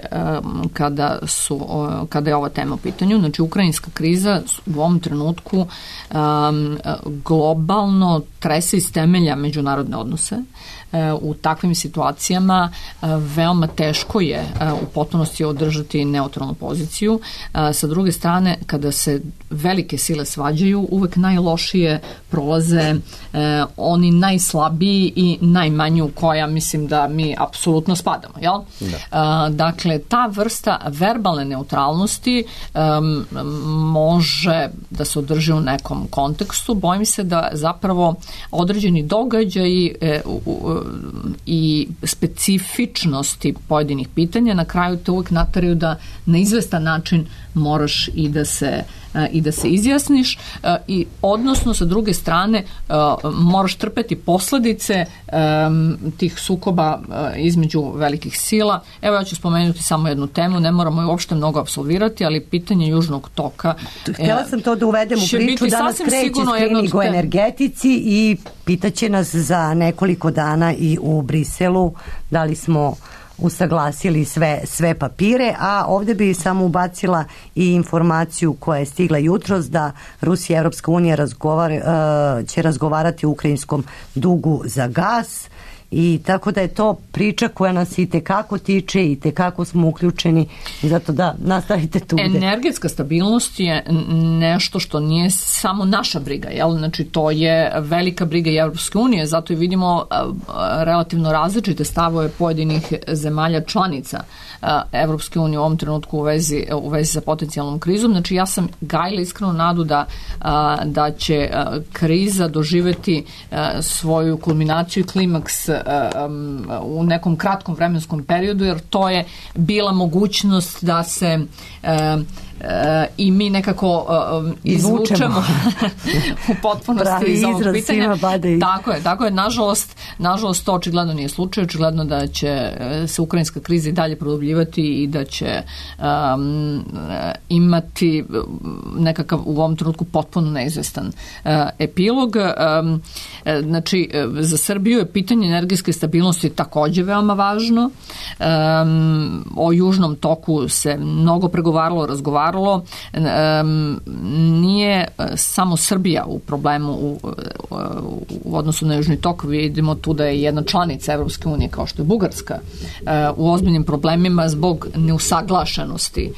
kada je ova tema u pitanju. Znači, ukrajinska kriza u ovom trenutku globalno trese iz temelja međunarodne odnose. U takvim situacijama veoma teško je u potpunosti održati neutralnu poziciju. Sa druge strane, kada se velike sile svađaju, uvek najlošije prolaze oni najslabiji i najmanji u koja mislim da mi apsolutno spadamo. Jel? Da. Dakle, ta vrsta verbalne neutralnosti može da se održi u nekom kontekstu. Bojim se da zapravo određeni događaji i specifičnosti pojedinih pitanja na kraju te uvek nataraju da na izvestan način moraš i da se i da se izjasniš i odnosno sa druge strane moraš trpeti posledice tih sukoba između velikih sila. Evo ja ću spomenuti samo jednu temu, ne moramo je uopšte mnogo apsolvirati, ali pitanje Južnog toka. Htjela sam to da uvedem u priču, danas kreće screening o energetici i pitaće nas za nekoliko dana i u Briselu da li smo usaglasili sve papire, a ovdje bi samo ubacila i informaciju koja je stigla jutros da Rusija i Evropska unija će razgovarati o ukrajinskom dugu za gas i tako da je to priča koja nas i tekako tiče i tekako smo uključeni i zato da nastavite tu. Energetska stabilnost je nešto što nije samo naša briga, jel? Znači to je velika briga i Evropske unije, zato i vidimo relativno različite stavove pojedinih zemalja članica Evropske unije u ovom trenutku u vezi sa potencijalnom krizom. Znači ja sam gajila iskrenu nadu da će kriza doživeti svoju kulminaciju i klimaks u nekom kratkom vremenskom periodu, jer to je bila mogućnost da se i mi nekako izvučemo u potpunosti iz ovog pitanja. Tako je, nažalost to očigledno nije slučaj, očigledno da će se ukrajinska kriza i dalje produbljivati i da će imati nekakav u ovom trenutku potpuno neizvestan epilog. Znači za Srbiju je pitanje energetske stabilnosti takođe veoma važno. O Južnom toku se mnogo pregovaralo, razgovaralo. Nije samo Srbija u problemu u odnosu na Južni tok. Vidimo tu da je jedna članica Evropske unije kao što je Bugarska u ozbiljnim problemima zbog neusaglašenosti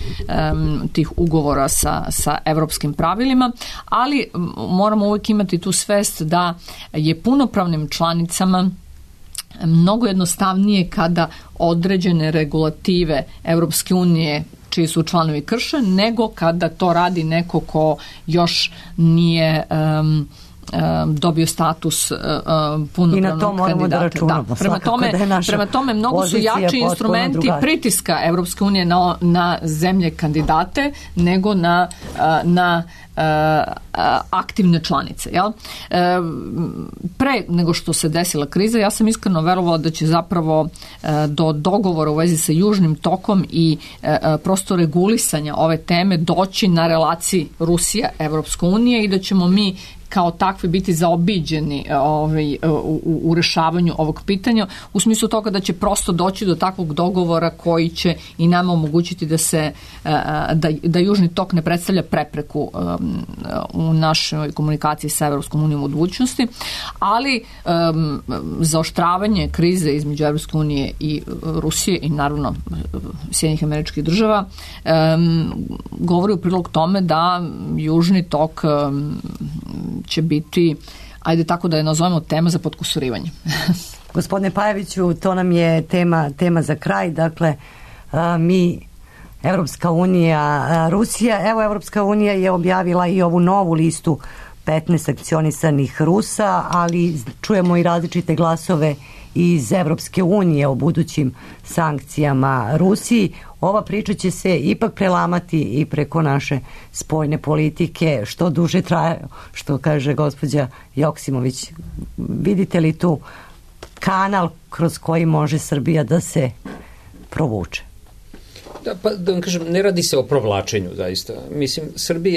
tih ugovora sa evropskim pravilima, ali moramo uvijek imati tu svest da je punopravnim članicama mnogo jednostavnije kada određene regulative Evropske unije čiji su članovi krše, nego kada to radi neko ko još nije dobio status punopravnog kandidata. Prema tome mnogo su jači instrumenti pritiska Evropske unije na zemlje kandidate nego na aktivne članice. Jel? Pre nego što se desila kriza, ja sam iskreno verovala da će zapravo do dogovora u vezi sa Južnim tokom i prosto regulisanja ove teme doći na relaciji Rusija-Evropska unija i da ćemo mi kao takvi biti zaobiđeni u rešavanju ovog pitanja, u smislu toga da će prosto doći do takvog dogovora koji će i nama omogućiti da Južni tok ne predstavlja prepreku u našoj komunikaciji sa Evropskom unijom u budućnosti, ali zaoštravanje krize između Evropske unije i Rusije i naravno Sjedinjenih Američkih Država govori u prilog tome da Južni tok će biti, ajde tako da je nazovemo, tema za potkusurivanje. Gospodine Pajeviću, to nam je tema za kraj. Dakle, mi, Evropska unija, Rusija, evo Evropska unija je objavila i ovu novu listu 15 sankcionisanih Rusa, ali čujemo i različite glasove iz Evropske unije o budućim sankcijama Rusiji. Ova priča će se ipak prelamati i preko naše spoljne politike, što duže traje, što kaže gospođa Joksimović. Vidite li tu kanal kroz koji može Srbija da se provuče? Da vam kažem, ne radi se o provlačenju zaista. Mislim,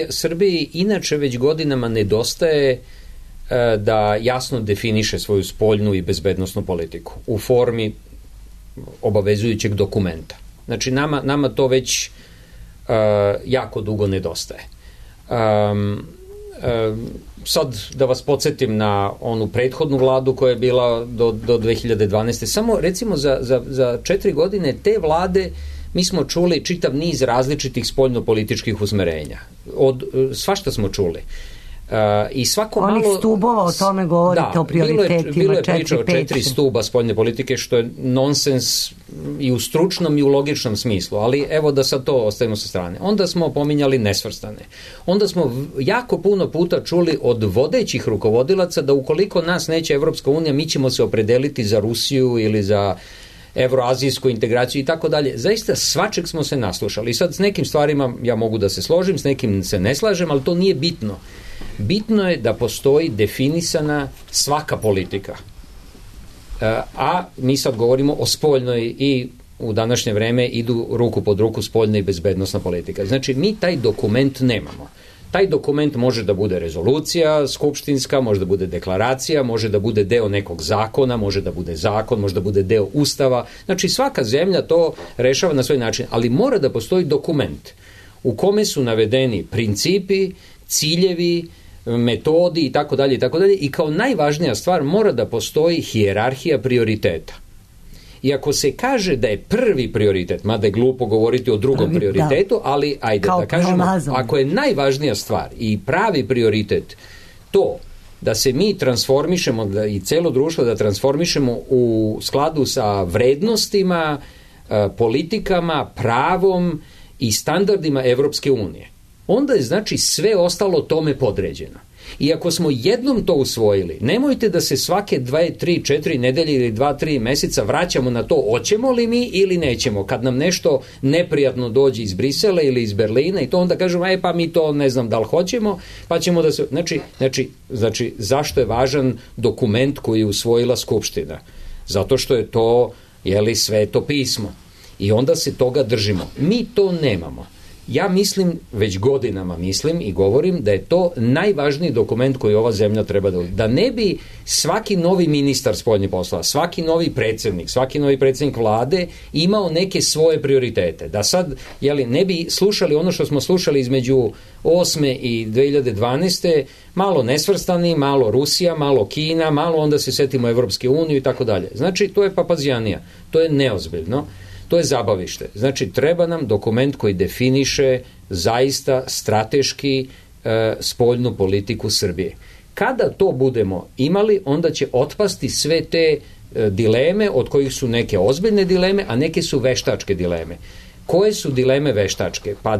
Srbiji inače već godinama nedostaje da jasno definiše svoju spoljnu i bezbednosnu politiku u formi obavezujućeg dokumenta. Znači, nama to već jako dugo nedostaje. Sad da vas podsjetim na onu prethodnu vladu koja je bila do 2012. Samo recimo za 4 godine te vlade mi smo čuli čitav niz različitih spoljnopolitičkih usmerenja. Svašta smo čuli. I svako onih malo stubova, o tome govorite, o prioritetima. Bilo je priča o 4 stuba spoljne politike, što je nonsens i u stručnom i u logičnom smislu, ali evo da sad to ostavimo sa strane. Onda smo pominjali nesvrstane. Onda smo jako puno puta čuli od vodećih rukovodilaca da ukoliko nas neće Evropska unija, mi ćemo se opredeliti za Rusiju ili za evroazijsku integraciju i tako dalje. Zaista svačeg smo se naslušali. I sad s nekim stvarima ja mogu da se složim, s nekim se ne slažem, ali to nije bitno. Bitno je da postoji definisana svaka politika. A mi sad govorimo o spoljnoj i u današnje vreme idu ruku pod ruku spoljna i bezbednosna politika. Znači, mi taj dokument nemamo. Taj dokument može da bude rezolucija skupštinska, može da bude deklaracija, može da bude deo nekog zakona, može da bude zakon, može da bude deo ustava. Znači, svaka zemlja to rešava na svoj način, ali mora da postoji dokument u kome su navedeni principi, ciljevi, metodi i tako dalje i kao najvažnija stvar mora da postoji hijerarhija prioriteta. I ako se kaže da je prvi prioritet, mada je glupo govoriti o drugom prioritetu, ali ajde da kažemo, ako je najvažnija stvar i pravi prioritet to da se mi transformišemo i celo društvo da transformišemo u skladu sa vrednostima, politikama, pravom i standardima Evropske unije, onda je znači sve ostalo tome podređeno. I ako smo jednom to usvojili, nemojte da se svake 2, 3, 4 nedelje ili 2, 3 meseca vraćamo na to hoćemo li mi ili nećemo. Kad nam nešto neprijatno dođe iz Brisela ili iz Berlina i to onda kažemo, pa mi to ne znam da li hoćemo, pa ćemo da se... Znači, zašto je važan dokument koji je usvojila Skupština? Zato što je to, sveto pismo. I onda se toga držimo. Mi to nemamo. Ja mislim, već godinama mislim i govorim da je to najvažniji dokument koji ova zemlja treba da ne bi svaki novi ministar spoljnih poslova, svaki novi predsjednik vlade imao neke svoje prioritete. Da sad, ne bi slušali ono što smo slušali između 2008. i 2012. malo nesvrstani, malo Rusija, malo Kina, malo onda se setimo Evropske unije i tako dalje. Znači, to je papazijanija, to je neozbiljno. To je zabavište. Znači, treba nam dokument koji definiše zaista strateški spoljnu politiku Srbije. Kada to budemo imali, onda će otpasti sve te dileme, od kojih su neke ozbiljne dileme, a neke su veštačke dileme. Koje su dileme veštačke? Pa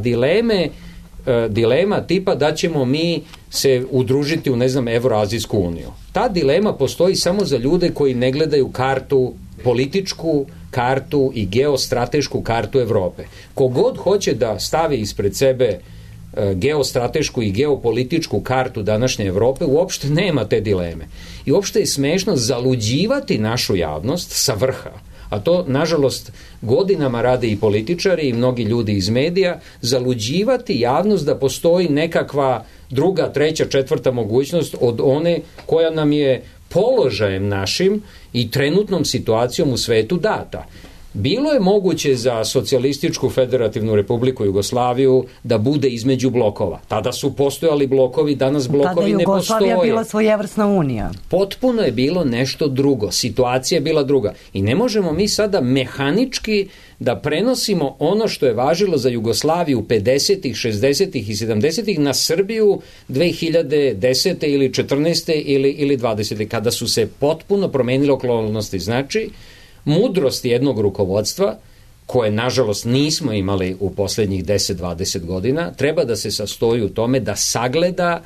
dilema tipa da ćemo mi se udružiti u, Evroazijsku uniju. Ta dilema postoji samo za ljude koji ne gledaju kartu, političku kartu i geostratešku kartu Evrope. Kogod hoće da stavi ispred sebe geostratešku i geopolitičku kartu današnje Evrope, uopšte nema te dileme. I uopšte je smešno zaluđivati našu javnost sa vrha, a to, nažalost, godinama rade i političari i mnogi ljudi iz medija, zaluđivati javnost da postoji nekakva druga, treća, četvrta mogućnost od one koja nam je položajem našim i trenutnom situacijom u svetu data. Bilo je moguće za Socijalističku federativnu republiku Jugoslaviju da bude između blokova. Tada su postojali blokovi, danas blokovi ne postoje. Tada Jugoslavija bila svojevrsna unija. Potpuno je bilo nešto drugo. Situacija je bila druga. I ne možemo mi sada mehanički da prenosimo ono što je važilo za Jugoslaviju 50-ih, 60-ih i 70-ih na Srbiju 2010. ili 14. ili 20. kada su se potpuno promenile okolnosti. Znači, mudrost jednog rukovodstva, koje nažalost nismo imali u poslednjih 10-20 godina, treba da se sastoji u tome da sagleda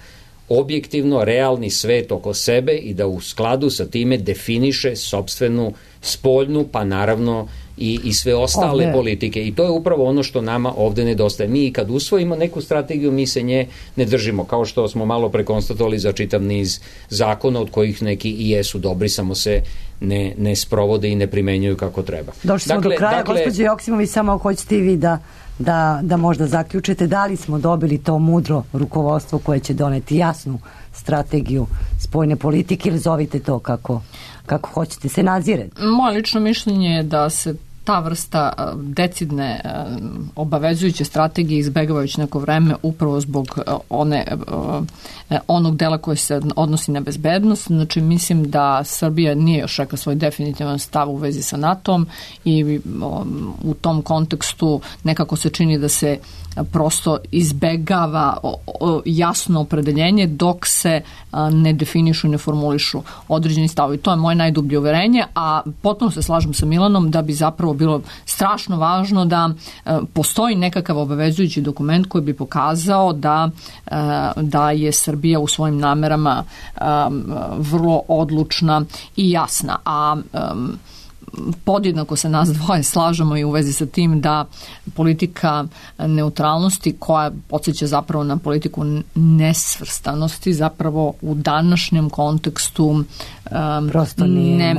objektivno realni svet oko sebe i da u skladu sa time definiše sopstvenu spoljnu, pa naravno i sve ostale politike. I to je upravo ono što nama ovde nedostaje. Mi kad usvojimo neku strategiju, mi se nje ne držimo, kao što smo malo prekonstatovali za čitav niz zakona, od kojih neki i jesu dobri, samo se ne sprovode i ne primenjuju kako treba. Došli smo do kraja, gospođo Joksimović, samo hoćete i vi da možda zaključite da li smo dobili to mudro rukovodstvo koje će doneti jasnu strategiju spoljne politike, ili zovite to kako hoćete, se nadzire. Moje lično mišljenje je da se ta vrsta decidne obavezujuće strategije izbegava već neko vreme upravo zbog onog dela koji se odnosi na bezbednost. Znači, mislim da Srbija nije još rekla svoj definitivan stav u vezi sa NATO-om i u tom kontekstu nekako se čini da se prosto izbegava jasno opredeljenje dok se ne definišu i ne formulišu određeni stavovi. To je moje najdublje uverenje, a potpuno se slažem sa Milanom da bi zapravo bilo strašno važno da postoji nekakav obavezujući dokument koji bi pokazao da je Srbija u svojim namerama vrlo odlučna i jasna. A podjednako se nas dvoje slažemo i u vezi sa tim da politika neutralnosti, koja podsjeća zapravo na politiku nesvrstanosti, zapravo u današnjem kontekstu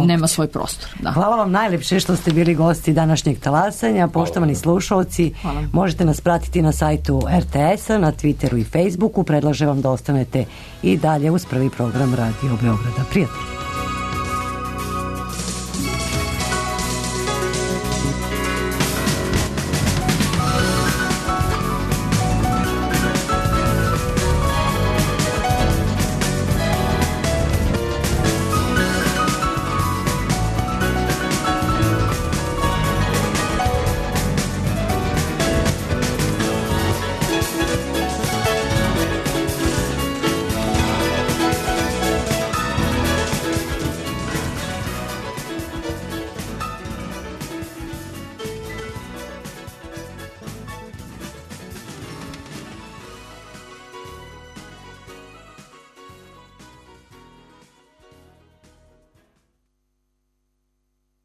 nema svoj prostor. Da. Hvala vam najlepše što ste bili gosti današnjeg talasanja. Poštovani slušalci, možete nas pratiti na sajtu RTS-a, na Twitteru i Facebooku. Predlažem vam da ostanete i dalje uz prvi program Radio Beograda. Prijatno.